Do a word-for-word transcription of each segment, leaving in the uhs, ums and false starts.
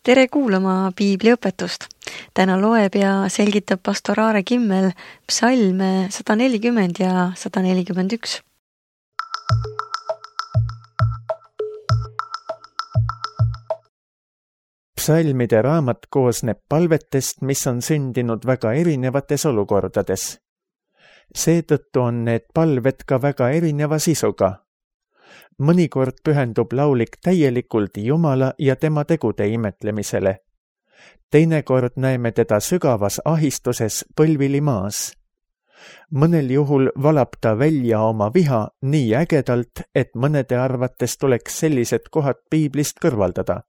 Tere kuulama piibliõpetust. Täna loeb ja selgitab pastor Aare Kimmel psalme sada nelikümmend ja sada nelikümmend üks. Psalmide raamat koosneb palvetest, mis on sündinud väga erinevates olukordades. Seetõttu on need palved ka väga erineva sisuga. Mõnikord pühendub laulik täielikult Jumala ja tema tegude imetlemisele. Teinekord näeme teda sügavas ahistuses põlvili maas. Mõnel juhul valab ta välja oma viha nii ägedalt, et mõnede arvates tuleks sellised kohad piiblist kõrvaldada.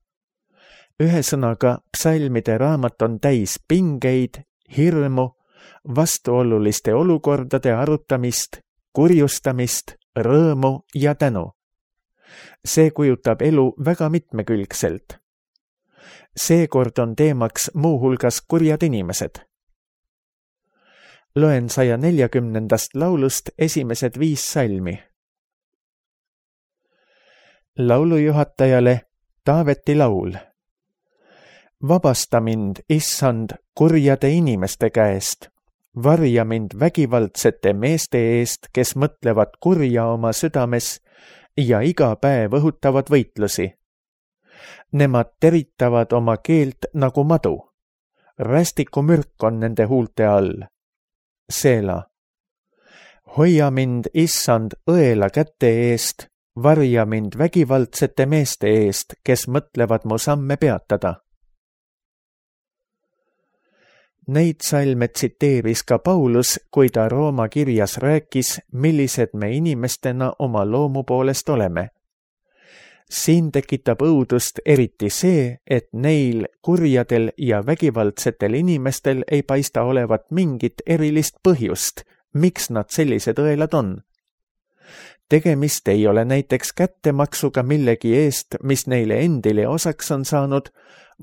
Ühesõnaga, psalmide raamat on täis pingeid, hirmu, vastuoluliste olukordade arutamist, kurjustamist, rõõmu ja tänu. See kujutab elu väga mitmekülgselt. Seekord on teemaks muuhulgas kurjad inimesed. Loen saja neljakümnendast laulust esimesed viis salmi. Laulujuhatajale Taaveti laul. Vabasta mind, Issand, kurjade inimeste käest. Varja mind vägivaldsete meeste eest, kes mõtlevad kurja oma südames ja iga päev õhutavad võitlusi. Nemad teritavad oma keelt nagu madu. Rästiku mürk on nende huulte all. Seela. Hoia mind, Issand, õela käte eest, varja mind vägivaldsete meeste eest, kes mõtlevad mu samme peatada. Neid salme tsiteeris ka Paulus, kui ta Rooma kirjas rääkis, millised me inimestena oma loomu poolest oleme. Siin tekitab õudust eriti see, et neil kurjadel ja vägivaldsetel inimestel ei paista olevat mingit erilist põhjust, miks nad sellised õelad on. Tegemist ei ole näiteks kättemaksuga millegi eest, mis neile endile osaks on saanud,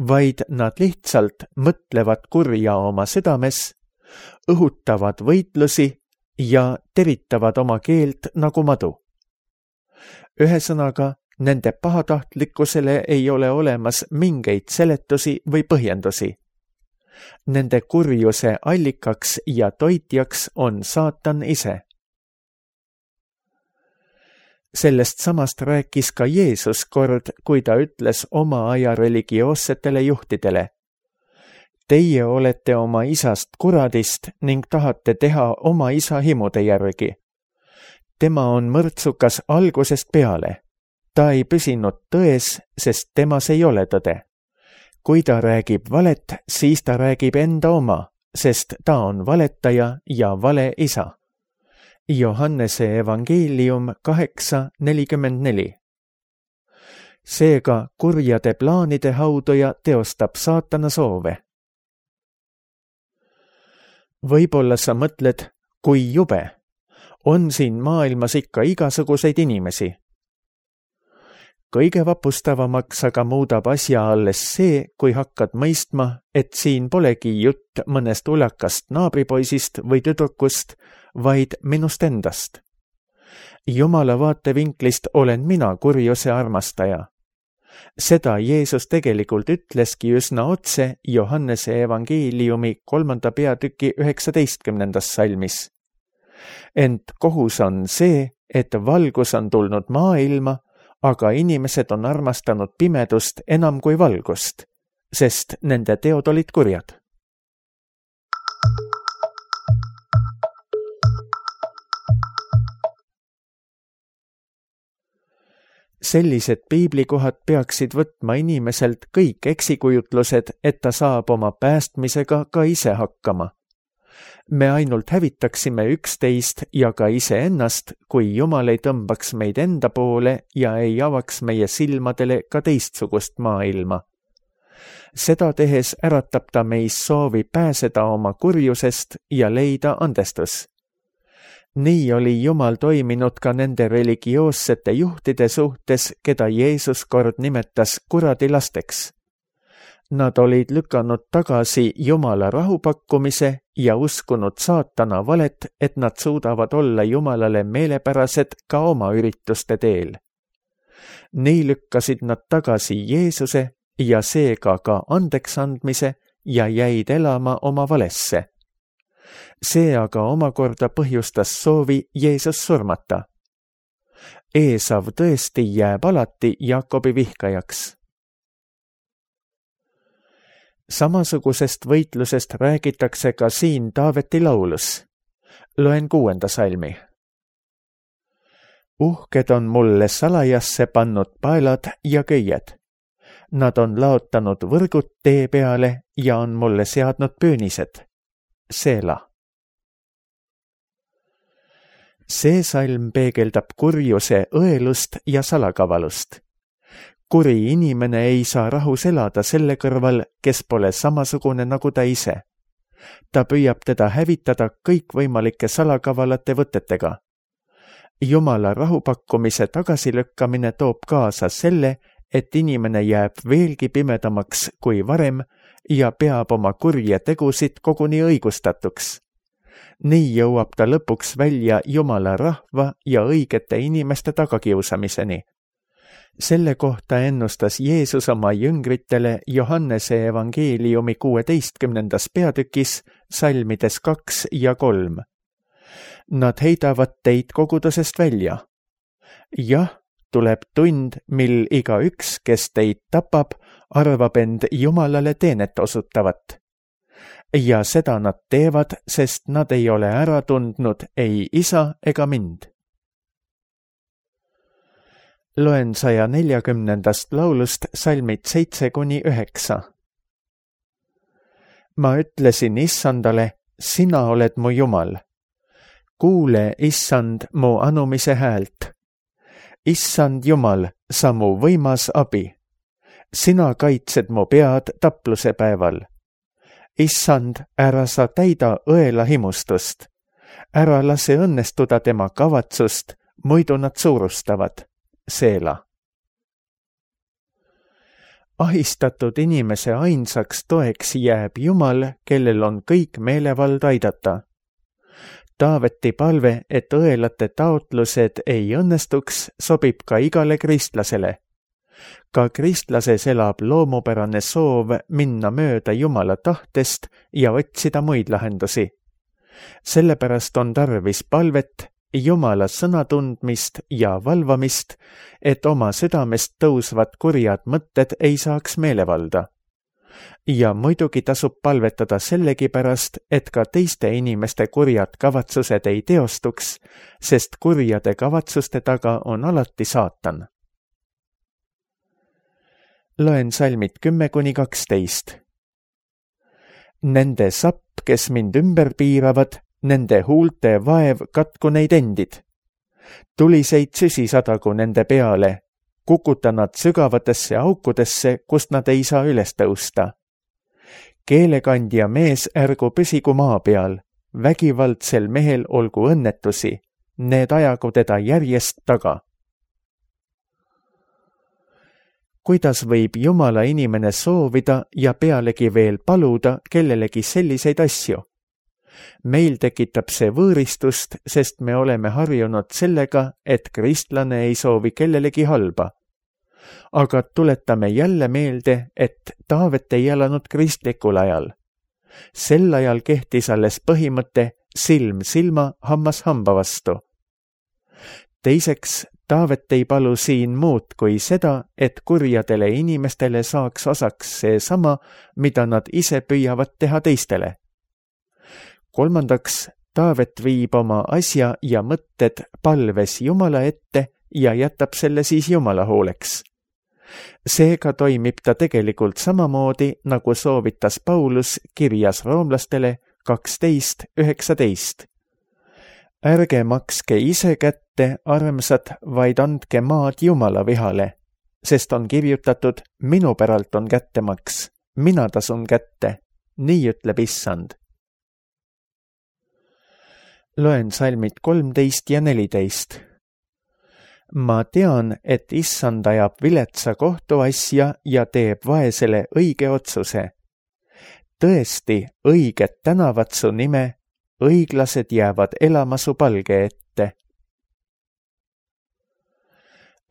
vaid nad lihtsalt mõtlevad kurja oma südames, õhutavad võitlusi ja teritavad oma keelt nagu madu. Ühesõnaga, nende pahatahtlikkusele ei ole olemas mingeid seletusi või põhjendusi. Nende kurjuse allikaks ja toitjaks on saatan ise. Sellest samast rääkis ka Jeesus kord, kui ta ütles oma aja religioossetele juhtidele. Teie olete oma isast kuradist ning tahate teha oma isa himude järgi. Tema on mõrtsukas algusest peale. Ta ei püsinud tões, sest temas ei ole tõde. Kui ta räägib valet, siis ta räägib enda oma, sest ta on valetaja ja vale isa. Johannese evangeelium kaheksa nelikümmend neli. Seega kurjade plaanide hauduja teostab saatana soove. Võib-olla sa mõtled, kui jube, on siin maailmas ikka igasuguseid inimesi. Kõige vapustavamaks aga muudab asja alles see, kui hakkad mõistma, et siin polegi jutt mõnest ulakast naabripoisist või tüdrukust, vaid minust endast. Jumala vaatevinklist olen mina kurjuse armastaja. Seda Jeesus tegelikult ütleski üsna otse Johannese evangeeliumi kolmanda peatüki üheksateistkümnendas salmis. Ent kohus on see, et valgus on tulnud maailma, aga inimesed on armastanud pimedust enam kui valgust, sest nende teod olid kurjad. Sellised piiblikohad peaksid võtma inimeselt kõik eksikujutlused, et ta saab oma päästmisega ka ise hakkama. Me ainult hävitaksime üksteist ja ka iseennast, kui Jumal ei tõmbaks meid enda poole ja ei avaks meie silmadele ka teistsugust maailma. Seda tehes äratab ta meis soovi pääseda oma kurjusest ja leida andestus. Nii oli Jumal toiminud ka nende religioossete juhtide suhtes, keda Jeesus kord nimetas kuradilasteks. Nad olid lükanud tagasi Jumala rahupakkumise ja uskunud saatana valet, et nad suudavad olla Jumalale meelepärased ka oma ürituste teel. Nii lükkasid nad tagasi Jeesuse ja seega ka andeks andmise ja jäid elama oma valesse. See aga omakorda põhjustas soovi Jeesus surmata. Eesav tõesti jääb alati Jaakobi vihkajaks. Samasugusest võitlusest räägitakse ka siin Taaveti laulus. Loen kuuenda salmi. Uhked on mulle salajasse pannud paelad ja köied. Nad on laotanud võrgud tee peale ja on mulle seadnud püünised. Seela. See salm peegeldab kurjuse õelust ja salakavalust. Kuri inimene ei saa rahus elada selle kõrval, kes pole samasugune nagu ta ise. Ta püüab teda hävitada kõikvõimalike salakavalate võtetega. Jumala rahupakkumise tagasilükkamine toob kaasa selle, et inimene jääb veelgi pimedamaks kui varem ja peab oma kurje tegusid koguni õigustatuks. Nii jõuab ta lõpuks välja Jumala rahva ja õigete inimeste tagakiusamiseni. Selle kohta ennustas Jeesus oma jüngritele Johannese evangeeliumi kuueteistkümnendas peatükis salmides kaks ja kolm. Nad heidavad teid kogudusest välja. Jah, tuleb tund, mil igaüks, kes teid tapab, arvab end Jumalale teenet osutavat. Ja seda nad teevad, sest nad ei ole ära tundnud ei isa ega mind. Loen saja neljakümnendast laulust salmid seitse kuni üheksa. Ma ütlesin issandale, sina oled mu Jumal. Kuule, issand, mu anumise häält. Issand Jumal, sa mu võimas abi. Sina kaitsed mu pead tapluse päeval. Issand, ära sa täida õela himustust. Ära lase õnnestuda tema kavatsust, muidu nad suurustavad. Seela. Ahistatud inimese ainsaks toeks jääb Jumal, kellel on kõik meelevald aidata. Taaveti palve, et õelate taotlused ei õnnestuks, sobib ka igale kristlasele. Ka kristlases elab loomupärane soov minna mööda Jumala tahtest ja otsida muid lahendusi. Sellepärast on tarvis palvet, Jumala sõna tundmist ja valvamist, et oma südamest tõusvad kurjad mõtted ei saaks meelevalda. Ja muidugi tasub palvetada sellegipärast, et ka teiste inimeste kurjad kavatsused ei teostuks, sest kurjade kavatsuste taga on alati saatan. Loen salmid kümme kuni kaksteist. Nende sapp, kes mind ümber piiravad, nende huulte vaev katku neid endid. Tuliseid süsi sadagu nende peale, kukuta nad sügavatesse aukudesse, kust nad ei saa üles tõusta. Keelekandja mees ärgu püsigu maa peal, vägivaldsel mehel olgu õnnetusi, need ajagu teda järjest taga. Kuidas võib Jumala inimene soovida ja pealegi veel paluda kellelegi selliseid asju? Meil tekitab see võõristust, sest me oleme harjunud sellega, et kristlane ei soovi kellelegi halba. Aga tuletame jälle meelde, et Taavet ei elanud kristlikul ajal. Sel ajal kehtis alles põhimõte silm silma, hammas hamba vastu. Teiseks, Taavet ei palu siin muud kui seda, et kurjadele inimestele saaks osaks seesama, mida nad ise püüavad teha teistele. Kolmandaks, Taavet viib oma asja ja mõtted palves Jumala ette ja jätab selle siis Jumala hooleks. Seega toimib ta tegelikult samamoodi, nagu soovitas Paulus kirjas roomlastele kaksteist üheksateist. Ärge makske ise kätte, armsad, vaid andke maad Jumala vihale, sest on kirjutatud, minu päralt on kättemaks, mina tasun kätte, nii ütleb issand. Loen salmid kolmteist ja neliteist. Ma tean, et issand ajab viletsa kohtuasja ja teeb vaesele õige otsuse. Tõesti, õiged tänavad su nime, õiglased jäävad elama su palge ette.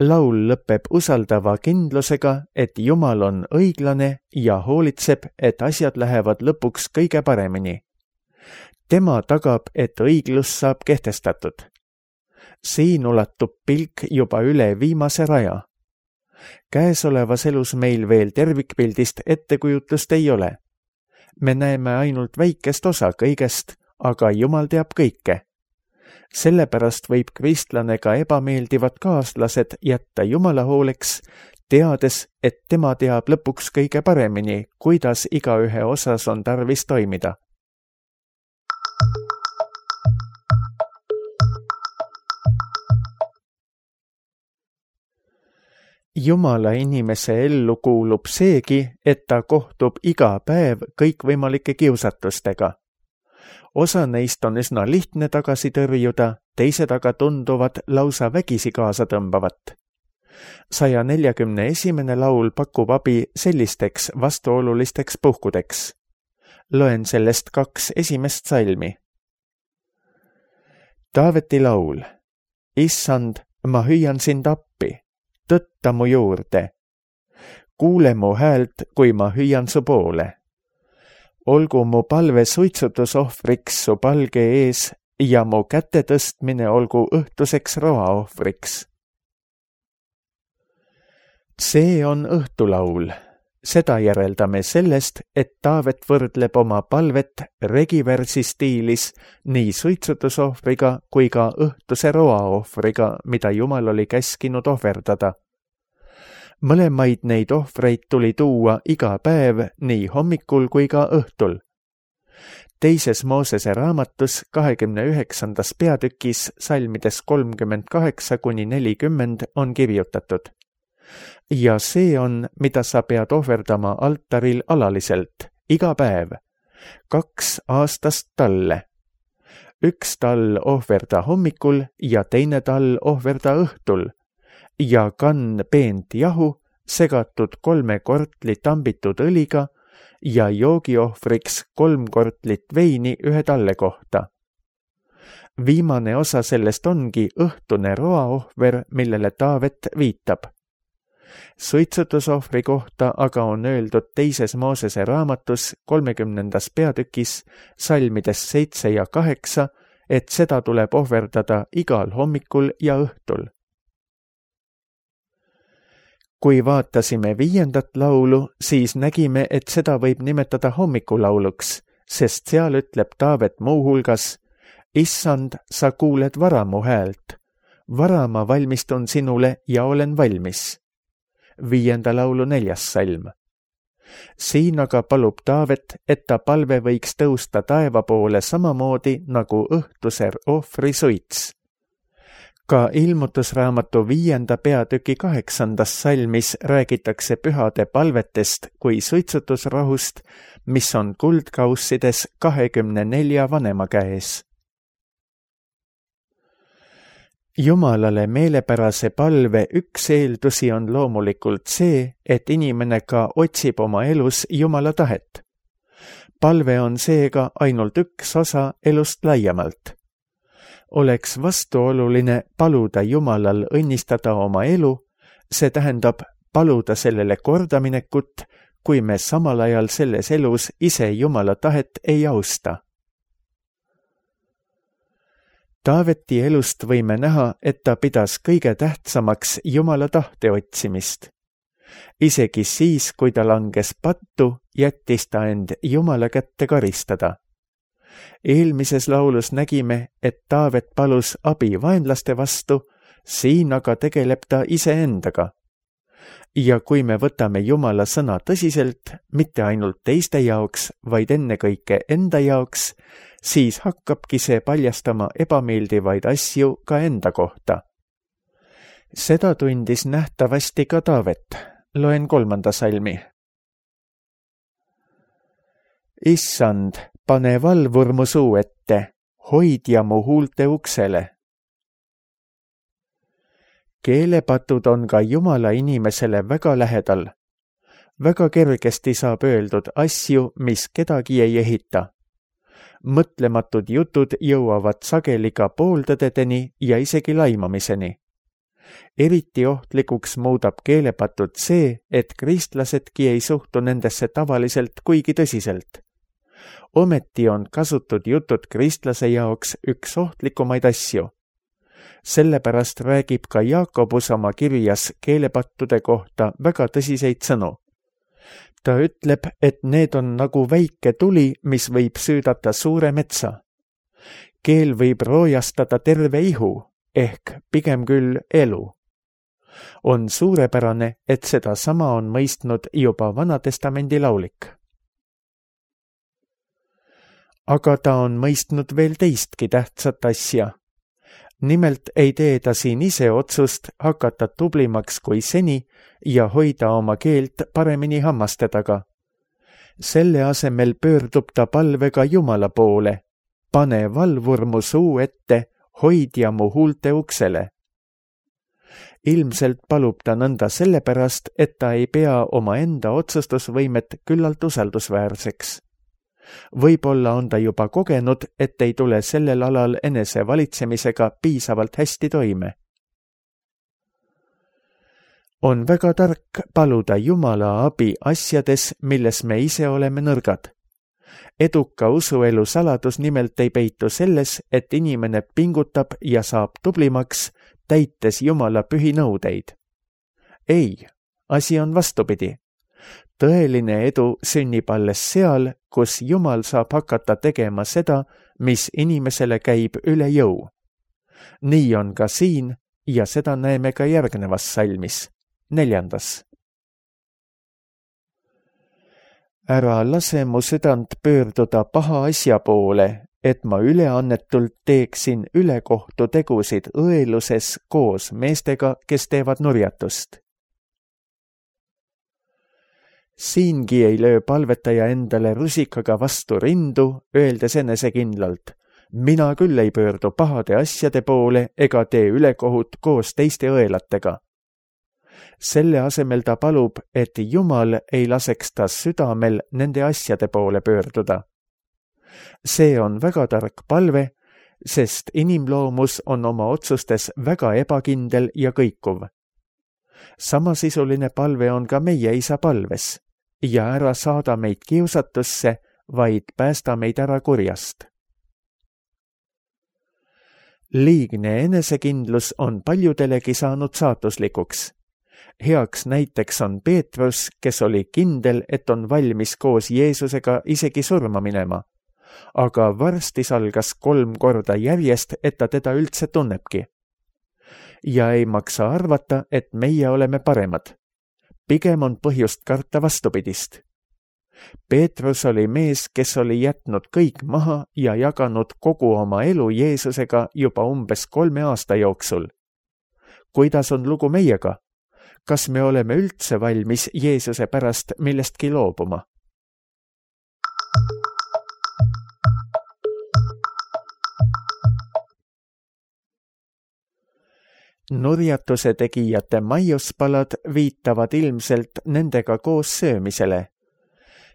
laul lõpeb usaldava kindlusega, et Jumal on õiglane ja hoolitseb, et asjad lähevad lõpuks kõige paremini. Tema tagab, et õiglus saab kehtestatud. Siin ulatub pilk juba üle viimase raja. Käesolevas elus meil veel tervikpildist ettekujutust ei ole. Me näeme ainult väikest osa kõigest, aga Jumal teab kõike. Sellepärast võib kristlane ka ebameeldivad kaaslased jätta Jumala hooleks, teades, et tema teab lõpuks kõige paremini, kuidas igaühe osas on tarvis toimida. Jumala inimese ellu kuulub seegi, et ta kohtub iga päev kõikvõimalike kiusatustega. Osa neist on üsna lihtne tagasi tõrjuda, teised aga tunduvad lausa vägisi kaasa tõmbavat. saja neljakümne esimene laul pakub abi sellisteks vastuolulisteks puhkudeks. Loen sellest kaks esimest salmi. Taaveti laul. Issand, ma hüüan sind appi, tõtta mu juurde. Kuule mu häält, kui ma hüüan su poole. Olgu mu palve suitsutusohvriks su palge ees ja mu käte tõstmine olgu õhtuseks roaohvriks. See on õhtulaul. Seda järeldame sellest, et Taavet võrdleb oma palvet regiversi stiilis nii suitsutusohvriga kui ka õhtuse roaohvriga, mida Jumal oli käskinud ohverdada. Mõlemaid neid ohvreid tuli tuua iga päev nii hommikul kui ka õhtul. Teises Moosese raamatus kahekümne üheksandas peatükis salmides kolmkümmend kaheksa kuni nelikümmend on kirjutatud. Ja see on, mida sa pead ohverdama altaril alaliselt, iga päev, kaks aastast talle. Üks tall ohverda hommikul ja teine tall ohverda õhtul. Ja kann peent jahu, segatud kolme kortli tambitud õliga ja joogiohvriks kolm kortlit veini ühe talle kohta. Viimane osa sellest ongi õhtune roaohver, millele Taavet viitab. Suitsutusohvri kohta aga on öeldud teises Moosese raamatus kolmekümnendas peatükis salmides seitse ja kaheksa, et seda tuleb ohverdada igal hommikul ja õhtul. Kui vaatasime viiendat laulu, siis nägime, et seda võib nimetada hommikulauluks, sest seal ütleb Taavet muu hulgas: Issand, sa kuuled vara mu häält. Vara ma valmistun sinule ja olen valmis. Viienda laulu neljas salm. Siin aga palub Taavet, et ta palve võiks tõusta taeva poole samamoodi nagu õhtuse ohvri suits. Ka ilmutusraamatu viienda peatüki kaheksandas salmis räägitakse pühade palvetest kui suitsutusrohust, mis on kuldkaussides kahekümne nelja vanema käes. Jumalale meelepärase palve üks eeldusi on loomulikult see, et inimene ka otsib oma elus Jumala tahet. Palve on seega ainult üks osa elust laiemalt. Oleks vastuoluline paluda Jumalal õnnistada oma elu, see tähendab paluda sellele kordaminekut, kui me samal ajal selles elus ise Jumala tahet ei austa. Taaveti elust võime näha, et ta pidas kõige tähtsamaks Jumala tahte otsimist. Isegi siis, kui ta langes pattu, jättis ta end Jumala kätte karistada. Eelmises laulus nägime, et Taavet palus abi vaenlaste vastu, siin aga tegeleb ta iseendaga. Ja kui me võtame Jumala sõna tõsiselt, mitte ainult teiste jaoks, vaid ennekõike enda jaoks, siis hakkabki see paljastama ebameeldivaid asju ka enda kohta. Seda tundis nähtavasti ka Taavet. Loen kolmanda salmi. Issand, pane valvur mu suu ette, hoidja mu huulte uksele. Keelepatud on ka Jumala inimesele väga lähedal. Väga kergesti saab öeldud asju, mis kedagi ei ehita. Mõtlematud jutud jõuavad sageli ka pooltõdedeni ja isegi laimamiseni. eriti ohtlikuks muudab keelepatud see, et kristlasedki ei suhtu nendesse tavaliselt kuigi tõsiselt. Ometi on kasutud jutud kristlase jaoks üks ohtlikumaid asju. Sellepärast räägib ka Jaakobus oma kirjas keelepattude kohta väga tõsiseid sõnu. Ta ütleb, et need on nagu väike tuli, mis võib süüdata suure metsa. Keel võib roojastada terve ihu, ehk pigem küll elu. On suurepärane, et seda sama on mõistnud juba Vanatestamendi laulik. Aga ta on mõistnud veel teistki tähtsat asja. Nimelt ei tee ta siin ise otsust hakata tublimaks kui seni ja hoida oma keelt paremini hammaste taga. Selle asemel pöördub ta palvega Jumala poole. Pane valvur mu suu ette, hoidja mu huulte uksele. Ilmselt palub ta nõnda sellepärast, et ta ei pea oma enda otsustusvõimet küllalt usaldusväärseks. Võib-olla on ta juba kogenud, et ei tule sellel alal enese valitsemisega piisavalt hästi toime. On väga tark paluda Jumala abi asjades, milles me ise oleme nõrgad. Eduka usuelu saladus nimelt ei peitu selles, et inimene pingutab ja saab tublimaks, täites Jumala pühinõudeid. Ei, asi on vastupidi. Tõeline edu sünnib alles seal, kus Jumal saab hakata tegema seda, mis inimesele käib üle jõu. Nii on ka siin ja seda näeme ka järgnevas salmis, neljandas. Ära lase mu südant pöörduda paha asja poole, et ma üleannetult teeksin ülekohtu tegusid õeluses koos meestega, kes teevad nurjatust. Siingi ei löö palvetaja endale rusikaga vastu rindu, öeldes enesekindlalt, mina küll ei pöördu pahade asjade poole ega tee ülekohut koos teiste õelatega. Selle asemel ta palub, et Jumal ei laseks ta südamel nende asjade poole pöörduda. See on väga tark palve, sest inimloomus on oma otsustes väga ebakindel ja kõikuv. Samasisuline palve on ka meie isa palves. Ja ära saada meid kiusatusse, vaid päästa meid ära kurjast. Liigne enesekindlus on paljudelegi saanud saatuslikuks. Heaks näiteks on Peetrus, kes oli kindel, et on valmis koos Jeesusega isegi surma minema. Aga varsti salgas kolm korda järjest, et ta teda üldse tunnebki. Ja ei maksa arvata, et meie oleme paremad. Pigem on põhjust karta vastupidist. Peetrus oli mees, kes oli jätnud kõik maha ja jaganud kogu oma elu Jeesusega juba umbes kolme aasta jooksul. Kuidas on lugu meiega? Kas me oleme üldse valmis Jeesuse pärast millestki loobuma? Nurjatuse tegijate maiuspalad viitavad ilmselt nendega koos söömisele.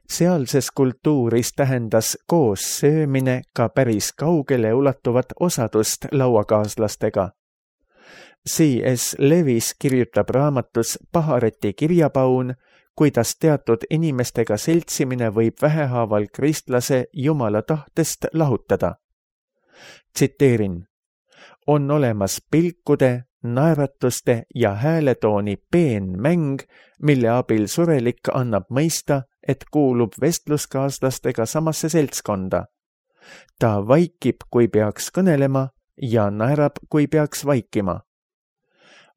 Sealses kultuuris tähendas koos söömine ka päris kaugele ulatuvat osadust lauakaaslastega. C S Lewis kirjutab raamatus Pahareti kirjapaun, kuidas teatud inimestega seltsimine võib vähehaaval kristlase Jumala tahtest lahutada. Tsiteerin, on olemas pilkude, naeratuste ja hääletooni peen mäng, mille abil surelik annab mõista, et kuulub vestluskaaslastega samasse seltskonda. Ta vaikib, kui peaks kõnelema ja naerab, kui peaks vaikima.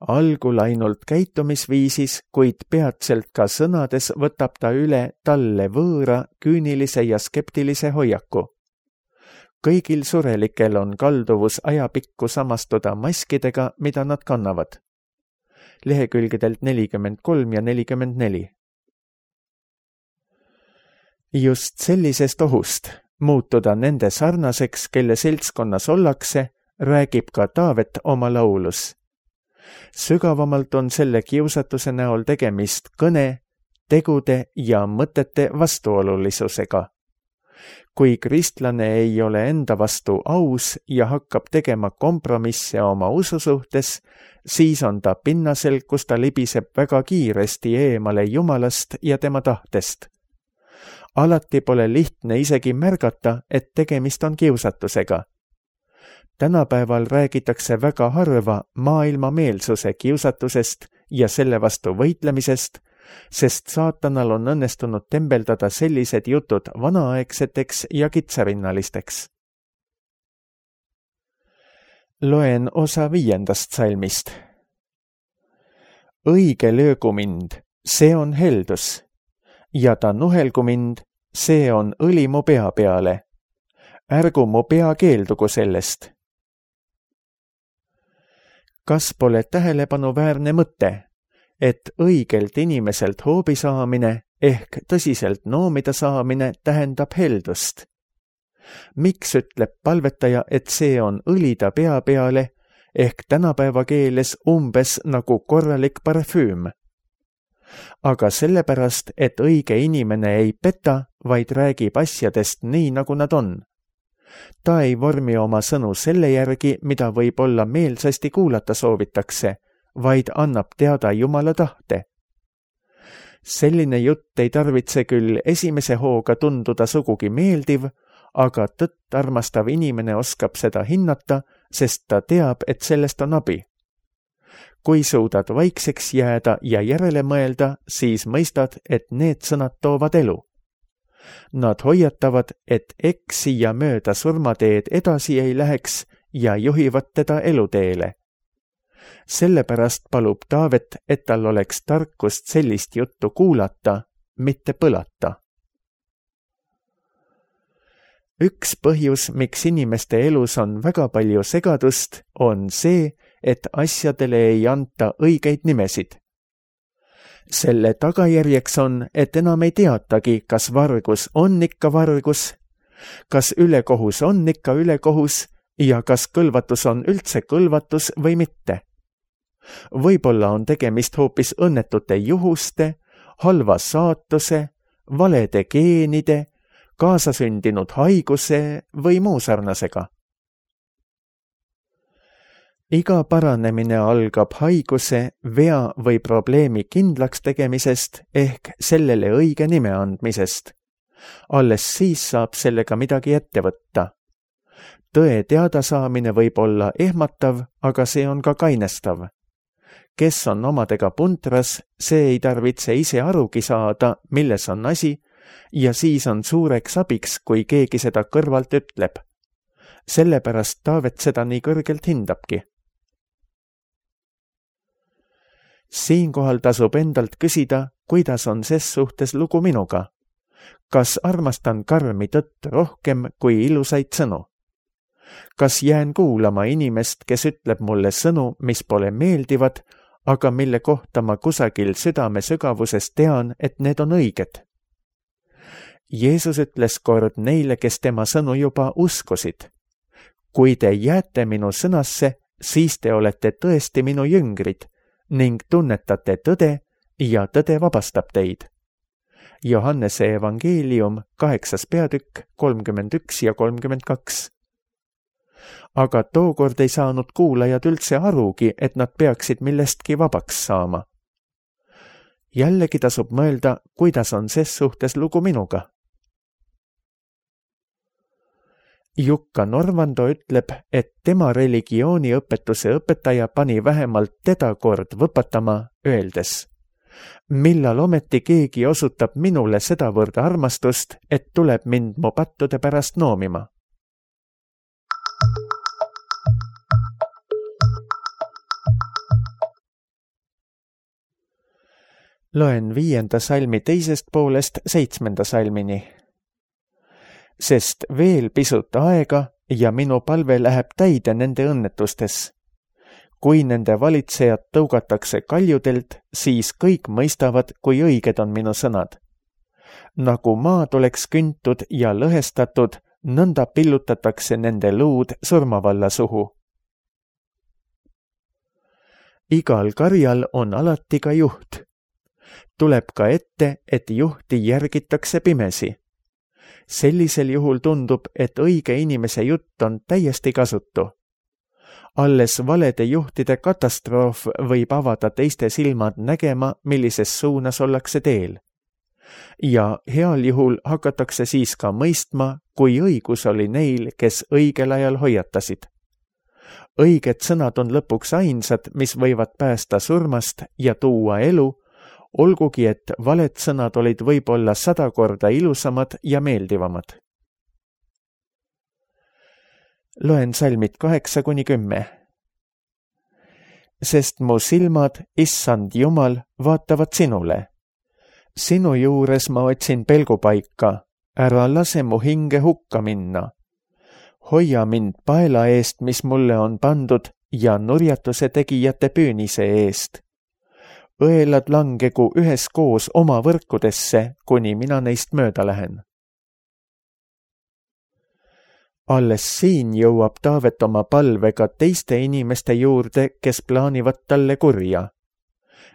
Algul ainult käitumisviisis, kuid peatselt ka sõnades võtab ta üle talle võõra, küünilise ja skeptilise hoiaku. Kõigil surelikel on kalduvus ajapikku samastuda maskidega, mida nad kannavad. Lehekülgedelt nelikümmend kolm ja nelikümmend neli. Just sellisest ohust muutuda nende sarnaseks, kelle seltskonnas ollakse, räägib ka Taavet oma laulus. Sügavamalt on selle kiusatuse näol tegemist kõne, tegude ja mõtete vastuolulisusega. kui kristlane ei ole enda vastu aus ja hakkab tegema kompromisse oma usu suhtes, siis on ta pinnasel, kus ta libiseb väga kiiresti eemale Jumalast ja tema tahtest. Alati pole lihtne isegi märgata, et tegemist on kiusatusega. Tänapäeval räägitakse väga harva maailmameelsuse kiusatusest ja selle vastu võitlemisest, sest saatanal on õnnestunud tembeldada sellised jutud vanaaegseteks ja kitsarinnalisteks. Loen osa viiendast salmist. Õige löögu mind, see on heldus, ja ta nuhelgu mind, see on õli mu pea peale. Ärgu mu pea keeldugu sellest. Kas pole tähelepanuväärne mõte, et õigelt inimeselt hoobi saamine ehk tõsiselt noomida saamine tähendab heldust? Miks ütleb palvetaja, et see on õli ta pea peale ehk tänapäeva keeles umbes nagu korralik parfüüm? Aga sellepärast, et õige inimene ei peta, vaid räägib asjadest nii, nagu nad on. Ta ei vormi oma sõnu selle järgi, mida võib-olla meelsasti kuulata soovitakse, vaid annab teada Jumala tahte. Selline jutt ei tarvitse küll esimese hooga tunduda sugugi meeldiv, aga tõtt armastav inimene oskab seda hinnata, sest ta teab, et sellest on abi. Kui suudad vaikseks jääda ja järele mõelda, siis mõistad, et need sõnad toovad elu. Nad hoiatavad, et eksi ja mööda surmateed edasi ei läheks ja juhivad teda eluteele. Sellepärast palub Taavet, et tal oleks tarkust sellist juttu kuulata, mitte põlata. Üks põhjus, miks inimeste elus on väga palju segadust, on see, et asjadele ei anta õigeid nimesid. Selle tagajärjeks on, et enam ei teatagi, kas vargus on ikka vargus, kas ülekohus on ikka ülekohus ja kas kõlvatus on üldse kõlvatus või mitte. Võib-olla on tegemist hoopis õnnetute juhuste, halva saatuse, valede geenide, kaasasündinud haiguse või muu sarnasega. Iga paranemine algab haiguse, vea või probleemi kindlaks tegemisest ehk sellele õige nime andmisest. Alles siis saab sellega midagi ette võtta. Tõe teadasaamine võib olla ehmatav, aga see on ka kainestav. Kes on omadega puntras, see ei tarvitse ise arugi saada, milles on asi, ja siis on suureks abiks, kui keegi seda kõrvalt ütleb. Sellepärast Taavet seda nii kõrgelt hindabki. Siinkohal tasub endalt küsida, kuidas on ses suhtes lugu minuga. Kas armastan karmi tõtt rohkem kui ilusaid sõnu? Kas jään kuulama inimest, kes ütleb mulle sõnu, mis pole meeldivad, aga mille kohta ma kusagil südame sügavuses tean, et need on õiged? Jeesus ütles kord neile, kes tema sõnu juba uskusid. Kui te jääte minu sõnasse, siis te olete tõesti minu jüngrid ning tunnetate tõde ja tõde vabastab teid. Johannese evangeelium, kaheksas peatükk, kolmkümmend üks ja kolmkümmend kaks. Aga tookord ei saanud kuulajad üldse arugi, et nad peaksid millestki vabaks saama. Jällegi tasub mõelda, kuidas on ses suhtes lugu minuga. Jukka Norvando ütleb, et tema religiooniõpetuse õpetaja pani vähemalt teda kord võpatama, öeldes: millal ometi keegi osutab minule sedavõrd armastust, et tuleb mind mu pattude pärast noomima. Loen viienda salmi teisest poolest seitsmenda salmini. Sest veel pisut aega ja minu palve läheb täide nende õnnetustes. Kui nende valitsejad tõugatakse kaljudelt, siis kõik mõistavad, kui õiged on minu sõnad. Nagu maad oleks küntud ja lõhestatud, nõnda pillutatakse nende luud surmavalla suhu. Igal karjal on alati ka juht. Tuleb ka ette, et juhti järgitakse pimesi. Sellisel juhul tundub, et õige inimese jutt on täiesti kasutu. Alles valede juhtide katastroof võib avada teiste silmad nägema, millises suunas ollakse teel. Ja heal juhul hakatakse siis ka mõistma, kui õigus oli neil, kes õigel ajal hoiatasid. Õiged sõnad on lõpuks ainsad, mis võivad päästa surmast ja tuua elu, olgugi et valed sõnad olid võib-olla sada korda ilusamad ja meeldivamad. Loen salmid kaheksa kuni kümme. Sest mu silmad, issand Jumal, vaatavad sinule. Sinu juures ma otsin pelgupaika, ära lase mu hinge hukka minna. Hoia mind paela eest, mis mulle on pandud, ja nurjatuse tegijate püünise eest. Õelad langegu üheskoos oma võrkudesse, kuni mina neist mööda lähen. Alles siin jõuab Taavet oma palvega teiste inimeste juurde, kes plaanivad talle kurja.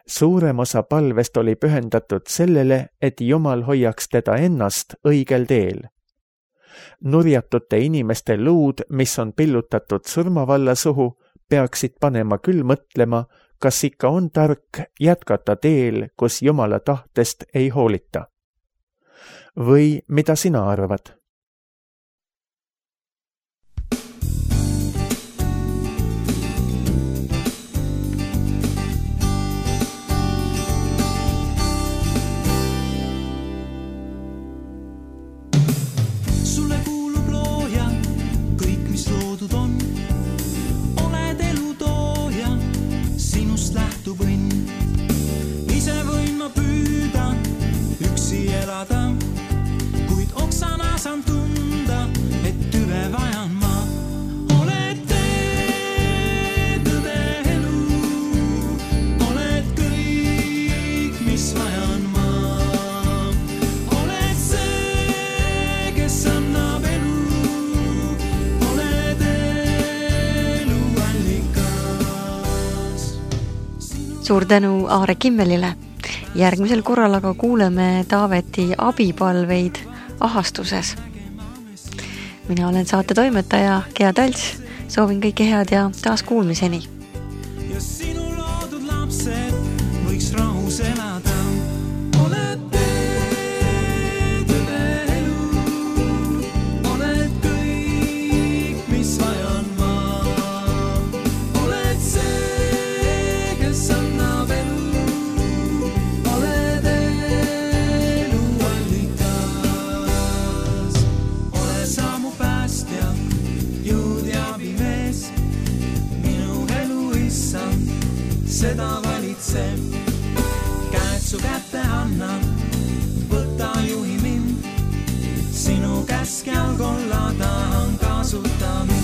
Suurem osa palvest oli pühendatud sellele, et Jumal hoiaks teda ennast õigel teel. Nurjatute inimeste luud, mis on pillutatud surmavalla suhu, peaksid panema küll mõtlema, kas ikka on tark jätkata teel, kus Jumala tahtest ei hoolita. Või mida sina arvad? Suur tänu Aare Kimmelile. Järgmisel korral aga kuuleme Taaveti abipalveid ahastuses. Mina olen saate toimetaja Gea Talts. Soovin kõike head ja taas kuulmiseni. Ja sinu loodud lapsed võiks rahus elada. Oled tõde elu, oled kõik, mis vajan ma. Oled see, kes annab elu, oled elu allikas. Ole sa mu päästja, jõud ja abimees, minu elu issand, seda valitseb. Käed su kätte annan, võta juhi mind, sinu käskjal kolla tahan kasuta mind.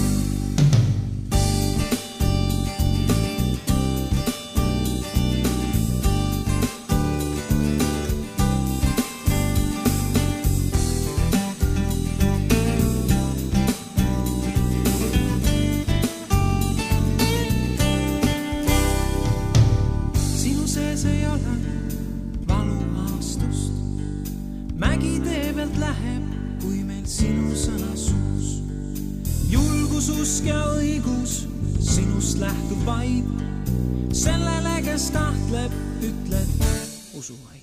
Usk ja õigus sinust lähtub vaid, sellele, kes tahtleb, ütled usu vaid.